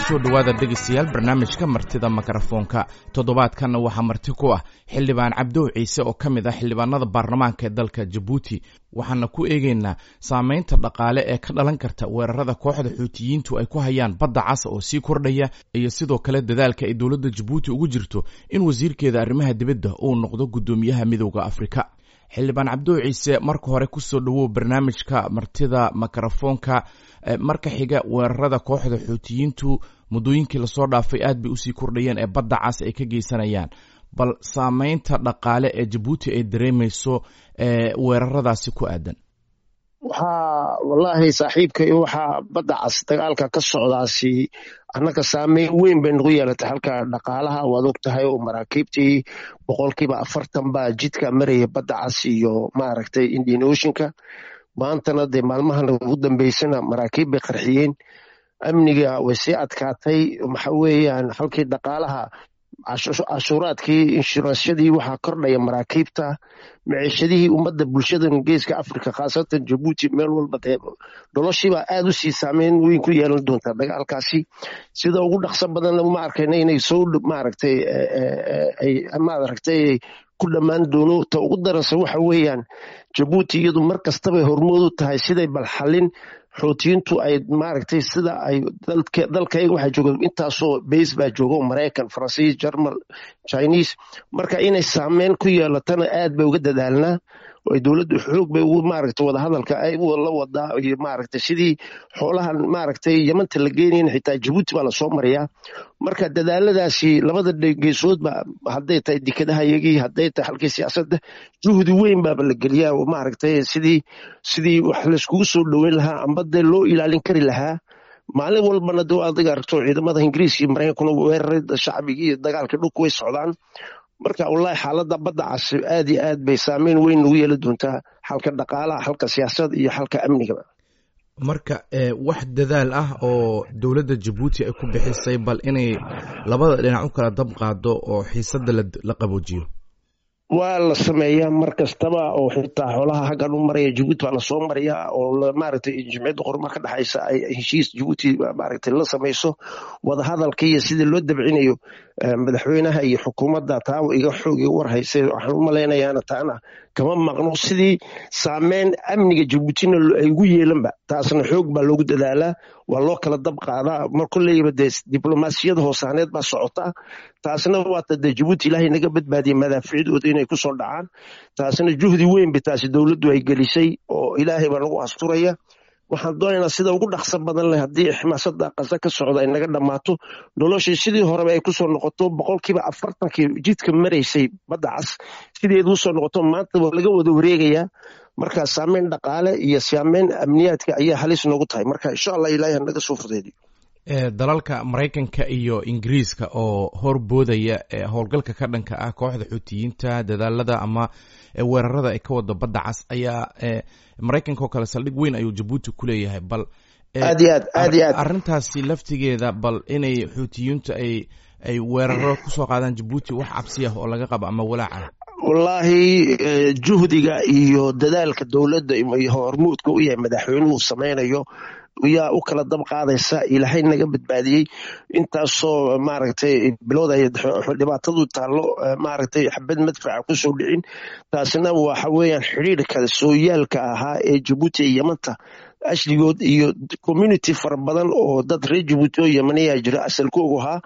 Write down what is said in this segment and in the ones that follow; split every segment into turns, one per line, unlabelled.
Kusoo dhowaada, dhegeystayaal, barnaamijka Martida Mikrofoonka. Toddobaadkanna waxaa marti ku ah Xildhibaan Cabdow Ciise oo ka mid ah xildhibaanada baarlamaanka ee dalka Jabuuti. Waxaana ku eegeynaa saameynta dhaqaale ee ka dhalan karta weerarada kooxda Xuutiyiintu ay ku hayaan Badda Cas oo sii kordhaya, iyo sidoo kale dadaalka ay dowladda Jabuuti ugu jirto in wasiirkeeda arrimaha dibadda uu noqdo guddoomiyaha Midowda Afrika. Xildhibaan Cabdow Ciise, marka hore kusoo dhowow barnaamijka Martida Mikrofoonka. Marka xiga, weerarada kooxda Xuutiyiintu muddooyinkii lasoo dhaafay aad bay usii kordhayeen ee Badda Cas ay ka geysanayaan. Bal saameynta dhaqaale ee Jabuuti ay dareemeyso weeraradaasi ku aadan?
Waxaa wallaahi, saaxiibkay, waxaa Badda Cas dagaalka ka socdaasi annaga saameyn weyn bay nagu yeelatay halka dhaqaalaha. Waad og tahay oo maraakiibtii 40% baa jidka maraya Badda Cas iyo maaragtay Indian Oceanka. Maantana dee maalmahan ugu dambeysana maraakiib bay qarxiyeen. Amniga way sii adkaatay. Waxa weeyaan halkii dhaqaalaha, cashuuraadkii, inshuransyadii, waxaa kordhaya maraakiibta, maciishadihii ummadda, bulshadan Geeska Africa, khaasatan Jabuuti, meel walba dee noloshiibaa aad u sii saameyn weyn ku yeelan doontaa dagaalkaasi. Sida ugu dhaqso badanna ma arkayna inay soo maaragtay ay maaragtay ku dhammaan doono. Ta ugu daranse waxa weeyaan Jabuuti iyadu mar kastabay hormood u tahay siday bal xallin Xuutiyiintu ay maaragtay sida ay dalkayga. Waxaa jooga intaasoo base baa jooga, Maraykan, Faransiis, Jarmal, Chinese. Marka inay saameyn ku yeelatana aad bay uga dadaalnaa oo dowladdu xoog bay ugu maaragtay wadahadalka ay la wadaa, iyo maaragtay sidii xoolahan maaragtay Yamanta la geenayn xitaa Jabuuti baa lasoo mariyaa. Marka dadaaladaasi labada geesoodba, hadday tahay dekadaha iyagii, hadday tahay halkii siyaasadda, juhdi weyn baaba la geliyaa oo maaragtay sidii wax layskugu soo dhoweyn lahaa amba dee loo ilaalin kari lahaa. Maalin walbana de adiga aragto ciidamada Ingiriiska iyo Maraykankuna weeraray shacbigii iyo dagaalka dhulku way socdaan. Marka wallahi xaaladda Badda Cas aad iyo aad bay saameyn weyn ugu yeeli doontaa xalka dhaqaalaha, xalka siyaasadda iyo xalka amnigaba.
Marka wax dadaal ah oo dowladda Jabuuti ay ku bixisay bal inay labada dhinac u kala dab qaado oo xiisadda la qaboojiyo?
Waa la sameeyaa mar kastaba, oo xitaa xoolaha haggan u maraya Jabuuti baa lasoo mariyaa, oo maaragtay Jimciyadda Qorumar ka dhexaysa ay heshiis Jabuuti maaragtay la samayso. Wadahadalka iyo sidii loo dabcinayo madaxweynaha iyo xukuumadda taa iga xoog iga war haysay. Waxaan u malaynayaana taana kama maqno sidii saameyn amniga Jabuutina ay ugu yeelanba. Taasna xoog baa loogu dadaalaa, waa loo kala dab qaadaa. Mar kolleyba dee diblomaasiyada hoosaaneed baa socota. Taasna waata dee Jabuuti Ilaahay naga badbaadiyay madaaficdooda inay kusoo dhacaan. Taasna juhdi weyn bay taasi dowladdu ay gelisay oo Ilaahay baa nagu asturaya. Waxaan doonaynaa sida ugu dhaqso badan leh haddii xamaasada Qasa ka socda ay naga dhammaato, noloshii sidii horeba ay kusoo noqoto, 40%-kii jidka maraysay Badda Cas sideedu usoo noqoto. Maanta waa laga wada wareegayaa. Marka saameyn dhaqaale iyo saameyn amniyaadka ayaa halis noogu tahay. Marka insha Allah Ilaahay hanaga soo fudeediyo.
Dalalka Maraykanka iyo Ingiriiska oo horboodaya howlgalka ka dhanka ah kooxda Xuutiyiinta, dadaalada ama weerarada ay ka wada Badda Cas, ayaa Maraykanka oo kale saldhig weyn ayuu Jabuuti ku leeyahay. Bal
Aad iyo aad, aad iyo aad.
arrintaasi laftigeeda, bal inay Xuutiyiintu ay weeraro kusoo qaadaan Jabuuti, wax cabsi ah oo laga qabo ama walaaca?
Wallaahi, juhdiga iyo dadaalka dowladda iyo hormuudka u yahay madaxweynuhu samaynayo yaa u kala dab qaadaysa. Ilaahay naga badbaadiyey intaasoo maaragtay bilowda dhibaatadu taallo, maaragtay xabad madfaca kusoo dhicin. Taasina waxa weeyaan xidhiirka sooyaalka ahaa ee Jabuuti iyo Yamanta ashligood iyo community fara badan oo dad reer Jabuuti oo Yamaniyaa jira asalkoogu ahaa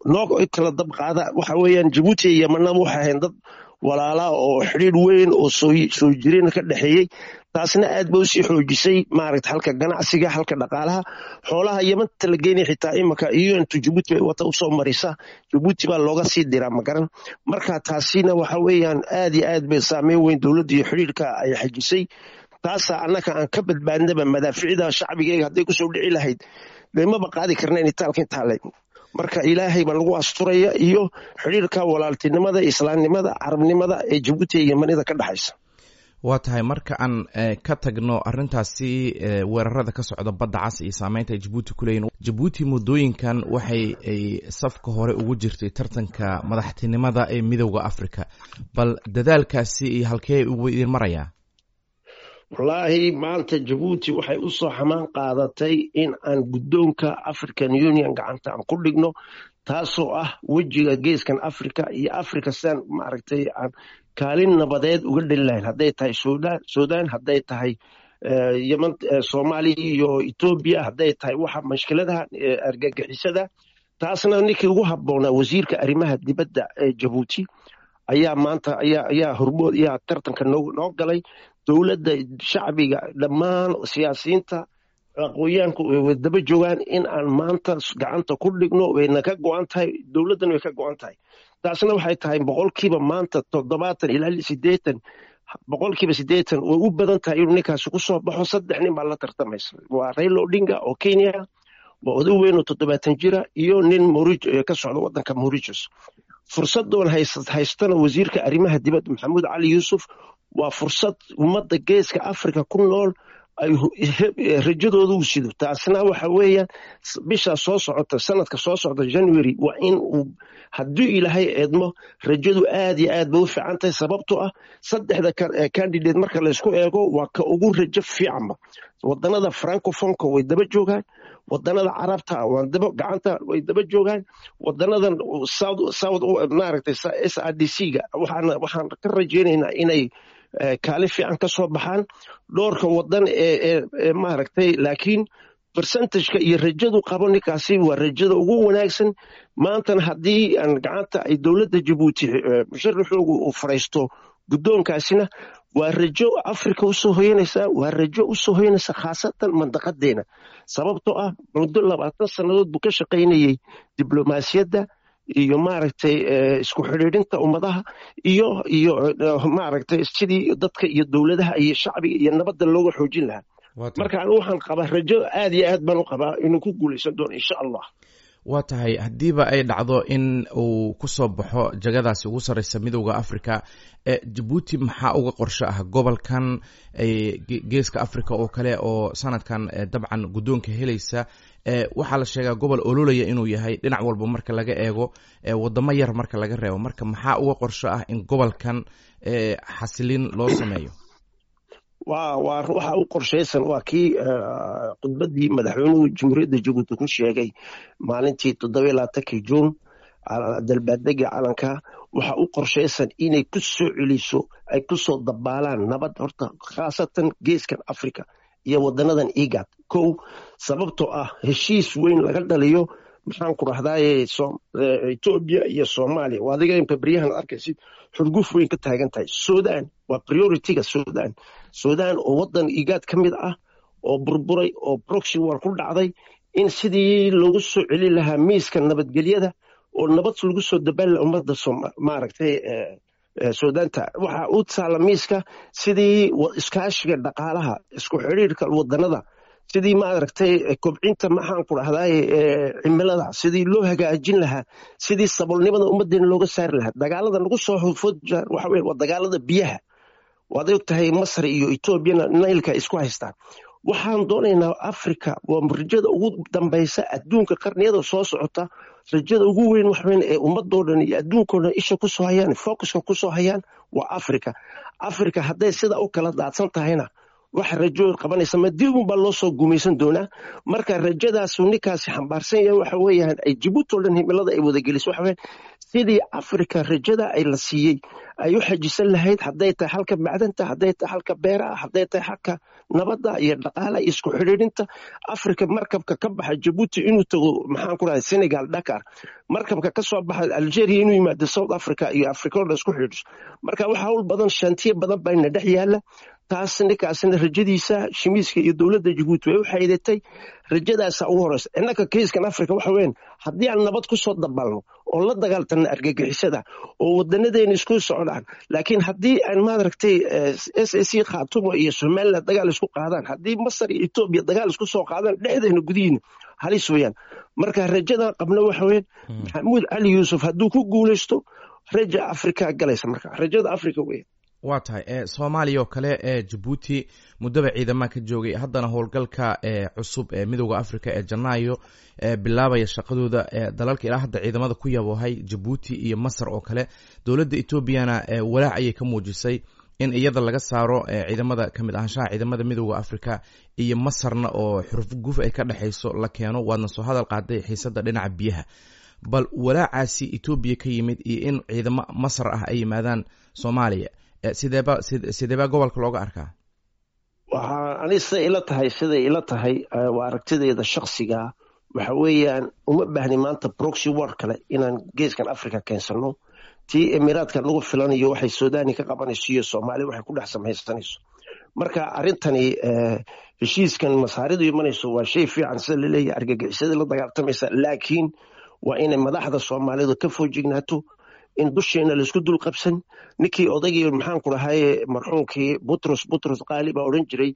noo kala dab qaada. Waxa weeyaan Jabuuti iyo Yamanna waxay ahayn dad walaalaa oo xidhiir weyn oo soo jireen ka dhexeeyey. Taasna aad bay usii xoojisay maaragta halka ganacsiga, halka dhaqaalaha. Xoolaha Yamanta la geynaya xitaa imika iyo intu Jabuuti bay wata usoo marisa, Jabuuti baa looga sii diraa, magaran. Marka taasina waxa weeyaan aad iyo aad bay saameyn weyn dowladda iyo xidhiirka ay xajisay. Taasaa annaka aan ka badbaadnaba. Madaaficida shacbigayga hadday kusoo dhici lahayd dee maba qaadi karnayn itaalka intaa. Marka Ilaahay baa lagu asturaya iyo xidhiirka walaaltinimada, islaamnimada, carabnimada ee Jabuuti iyo Yamanida ka dhexaysa.
Waa tahay. Marka aan ka tagno arrintaasi weerarada ka socda Badda Cas iyo saameynta ay Jabuuti ku leeyihin, Jabuuti muddooyinkan waxay ay safka hore ugu jirtay tartanka madaxtinimada ee Midowda Africa. Bal dadaalkaasi iyo halkee ugu idin marayaa?
Wallaahi maanta Jabuuti waxay u soo xamaan qaadatay in aan guddoonka African Union gacanta aan ku dhigno, taasoo ah wejiga geeskan Africa iyo Africa sidaan maaragtay aan kaalin nabadeed uga dheli lahayn, hadday tahay Sudan, hadday tahay Yemen, Soomaaliya iyo Etoobiya, hadday tahay waxa mashkiladaha argagixisada. Taasna ninkii ugu habboonaa, wasiirka arrimaha dibadda ee Jabuuti, ayaa maanta ayaa hormood ayaa tartanka noo galay. Dowladda, shacbiga, dhammaan siyaasiyiinta, aqoonyaanku way daba joogaan in aan maanta gacanta ku dhigno. Wayna ka go-an tahay, dowladdana way ka go-an tahay. Taasna waxay tahay 70% ilaa 80, 80% way u badan tahay inuu ninkaasi ku soo baxo. Saddex nin baa la tartamaysa: waa Raila Odinga oo Kenya, waa oday weyn oo 70 jira, iyo nin ka socda waddanka Mauritius. Fursadoon haystana wasiirka arrimaha dibadda Maxamuud Cali Yuusuf waa fursad ummadda geeska Africa ku nool ay rajadooda u sido. Taasna waxa weeyaan bishaa soo socota, sanadka soo socda January, waa in uu haddii Ilaahay eedmo rajadu aad iyo aad bay u fiican tahay, sababtoo ah saddexda candidate marka laysku eego waa ka ugu rajo fiicanba. Wadanada francophonka way daba joogaan, wadanada Carabta gacanta way daba joogaan, wadanadan south maaragtay SADC ga waxaan ka rajaynaynaa inay kaalin fiican ka soo baxaan dhowrka wadan ee maaragtay. Laakiin percentageka iyo rajadu qabo ninkaasi waa rajada ugu wanaagsan. Maantana haddii aan gacanta ay dowladda Jabuuti musharaxoogu uu fadhiisto guddoonkaasina, waa rajo Africa usoo hoyanaysa, waa rajo usoo hoyanaysa khaasatan mandaqadeena, sababtoo ah muddo 20 sannadood buu ka shaqaynayey diblomaasiyadda iyo maaragtay isku xidhiidhinta ummadaha iyo maaragtay sidii dadka iyo dowladaha iyo shacbiga iyo nabadda looga xoojin lahaa. Marka anigu waxaan qabaa rajo aad iyo aad baan u qabaa inuu ku guulaysan doono, insha Allah.
Waa tahay. Haddiiba ay dhacdo in uu ku soo baxo jagadaasi ugu sarreysa Midowda Africa, Jabuuti maxaa uga qorsho ah gobolkan Geeska Africa oo kale oo sanadkan dabcan guddoonka helaysa? Waxaa la sheegaa gobol ololaya inuu yahay dhinac walba marka laga eego, wadamo yar marka laga reebo. Marka maxaa uga qorsho ah in gobolkan xasilin loo sameeyo?
Waa waxa u qorshaysan waa kii khudbaddii madaxweynuhu Jamhuuriyadda Jabuuti ku sheegay maalintii 27-kii Juun, dalbaadega calanka. Waxa u qorshaysan inay ku soo celiso, ay ku soo dabaalaan nabad horta, khaasatan geeskan Africa iyo wadanadan IGAD kow, sababtoo ah heshiis weyn laga dhaliyo, maxaan ku rahdaaye, Etoobiya iyo Soomaaliya. Waa adiga imka beryahan arkaysid xurguf weyn ka taagan tahay. Sudan waa priorityga. Sudan oo wadan IGAD ka mid ah oo burburay oo proxy war ku dhacday, in sidii loogu soo celin lahaa miiska nabadgelyada oo nabad lagu soo dabaali lahaa ummadda maaragtay Suudaanta. Waxa u taala miiska sidii iskaashiga dhaqaalaha, isku xidhiirka wadanada, sidii maaragtay kobcinta, maxaan ku dhahdaye, cimilada sidii loo hagaajin lahaa, sidii saboolnimada ummadeena looga saari lahaa. Dagaalada nagu soo food waxa weeye waa dagaalada biyaha. Waad og tahay Masar iyo Etoobiyana Nailka isku haystaan. Waxaan doonaynaa Africa waa rajada ugu dambaysa adduunka qarniyada soo socota. Rajada ugu weyn wax weyn ee ummadoo dhan iyo adduunkoo dhan isha kusoo hayaan, focuska kusoo hayaan, waa Africa. Africa hadday sida u kala daadsan tahayna, wax rajo qabanaysa ma dib unbaa loo soo gumaysan doonaa. Marka rajadaasu ninkaasi xambaarsan yahay waxa weeyaan ay Jabuuti oo dhan himilada ay wadageliso waxa weeyaan sidii Africa rajada ay la siiyey ay u xajisan lahayd, hadday tahay halka macdanta, hadday tahay halka beeraha, hadday tahay halka nabadda iyo dhaqaalaha iyo isku xidhiidhinta Africa. Markabka ka baxa Jabuuti inuu tago, maxaan ku rahay, Senegal, Dakar, markabka ka soo baxa Algeria inuu yimaado South Africa iyo Africa oo dhan isku xidhiidhiso. Marka waxa hawl badan, shantiye badan baa ina dhex yaala. Taas ninkaasna rajadiisa shimiiska iyo dowladda Jabuuti way u xaydatay rajadaasa ugu horeysa. Innaka kiiskan Africa waxa weyn, haddii aan nabad ku soo dabalno oo la dagaaltanno argagixisada oo wadanadeena isku socdaan. Laakiin haddii aan maaragtay SSC Khaatumo iyo Somaliland dagaal isku qaadaan, haddii Masar iyo Etoobiya dagaal isku soo qaadaan, dhexdeena gudihiina halis weeyaan. Marka rajadan qabno waxa weyn, Maxamuud Cali Yuusuf hadduu ku guulaysto, raja Africa galaysa, marka rajada Africa weeyaan.
Waa tahay. Soomaaliya oo kale ee Jabuuti muddaba ciidamaha ka joogay, haddana howlgalka cusub ee Midowda Africa ee Janaayo bilaabaya shaqadooda, dalalka ilaa hadda ciidamada ku yaboohay Jabuuti iyo Masar oo kale, dowladda Etoobiyana walaac ayay ka muujisay In iyada laga saaro ciidamada kamid ahaanshaha ciidamada Midooda Africa iyo Masarna oo xuruf guf ay ka dhexayso la keeno, waadna soo hadal qaaday xiisada dhinaca biyaha. Bal walaacaasi Etoobiya ka yimid iyo in ciidamo Masar ah ay yimaadaan Soomaaliya, sideeba gobolka looga arkaa?
Waxaa ani siday ila tahay, waa aragtidayda shaksiga, waxa weeyaan uma baahni maanta proxy war kale inaan geeskan Africa keensano. Tii Emiraadka nagu filanayo, waxay Suudani ka qabanayso iyo Soomaali waxay ku dhex samaysanayso. Marka arrintani, heshiiskan Masaaridu imanayso waa shay fiican, sida laleeyahay argagixisyada la dagaaltamaysa, laakiin waa inay madaxda Soomaalidu ka foojignaato in dusheena laisku dul qabsan. Ninkii odaygii, maxaan ku dhahaye, marxuumkii Butros Butros Qaali baa odhan jiray,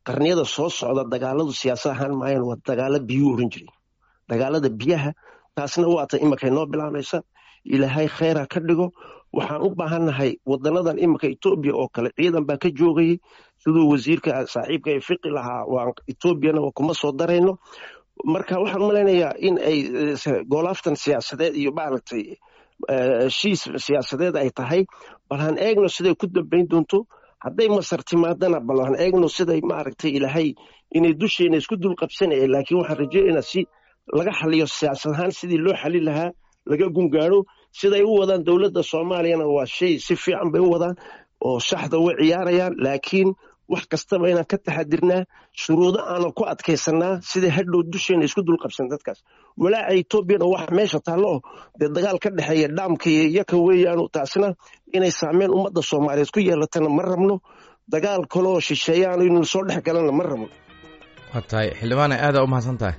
qarniyada soo socda dagaaladu siyaasad ahaan maayaan, waa dagaalo biyuu odhan jiray, dagaalada biyaha. Taasna waata iminka inoo bilaabaysa. Ilaahay kheyra ka dhigo. Waxaan u baahannahay wadanadan iminka Etoobiya oo kale ciidan baa ka joogayay, siduu wasiirka saaxiibka ee fiqi lahaa, waa Etoobiyana kuma soo darayno. Marka waxaan malaynayaa in ay goolaaftan siyaasadeed iyo maaragtay heshiis siyaasadeed ay tahay. Bal han eegno siday ku dambayn doonto. Hadday Masar timaadana, bal han eegno siday maaragtay. Ilaahay inay dusheena isku dul qabsanaya, laakiin waxaan rajaynaynaa si laga xaliyo siyaasad ahaan, sidii loo xalin lahaa laga gungaaro. Siday u wadaan dowladda Soomaaliyana waa shay si fiican bay u wadaan oo shaxda way ciyaarayaan, laakiin wax kastaba inaan ka taxadirnaa, shuruudo aanan ku adkaysanaa, siday hadhow dusheena isku dul qabsan dadkaas. Walaaca Etoobiyana wax meesha taallo oo dee dagaal ka dhexeeya dhaamka iyo iyaka weeyaanu, taasna inay saameyn ummadda Soomaaliyeed ku yeelatana ma rabno. Dagaal kaloo shisheeyaan inuu soo dhex galana ma rabno.
Waa tahay, xildhibaane, aadaa u mahadsan tahay.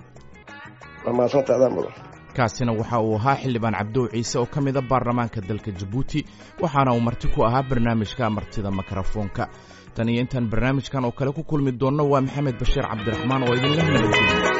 Waa mahadsanta, adaa mudan.
Kaasina waxa uu ahaa xildhibaan Cabdow Ciise oo ka mid a baarlamaanka dalka Jabuuti, waxaana uu marti ku ahaa barnaamijka Martida Mikrofoonka. Tan iyo intaan barnaamijkan oo kale ku kulmi doonno, waa Maxamed Bashiir Cabdiraxmaan oo idinla nabadgeliya.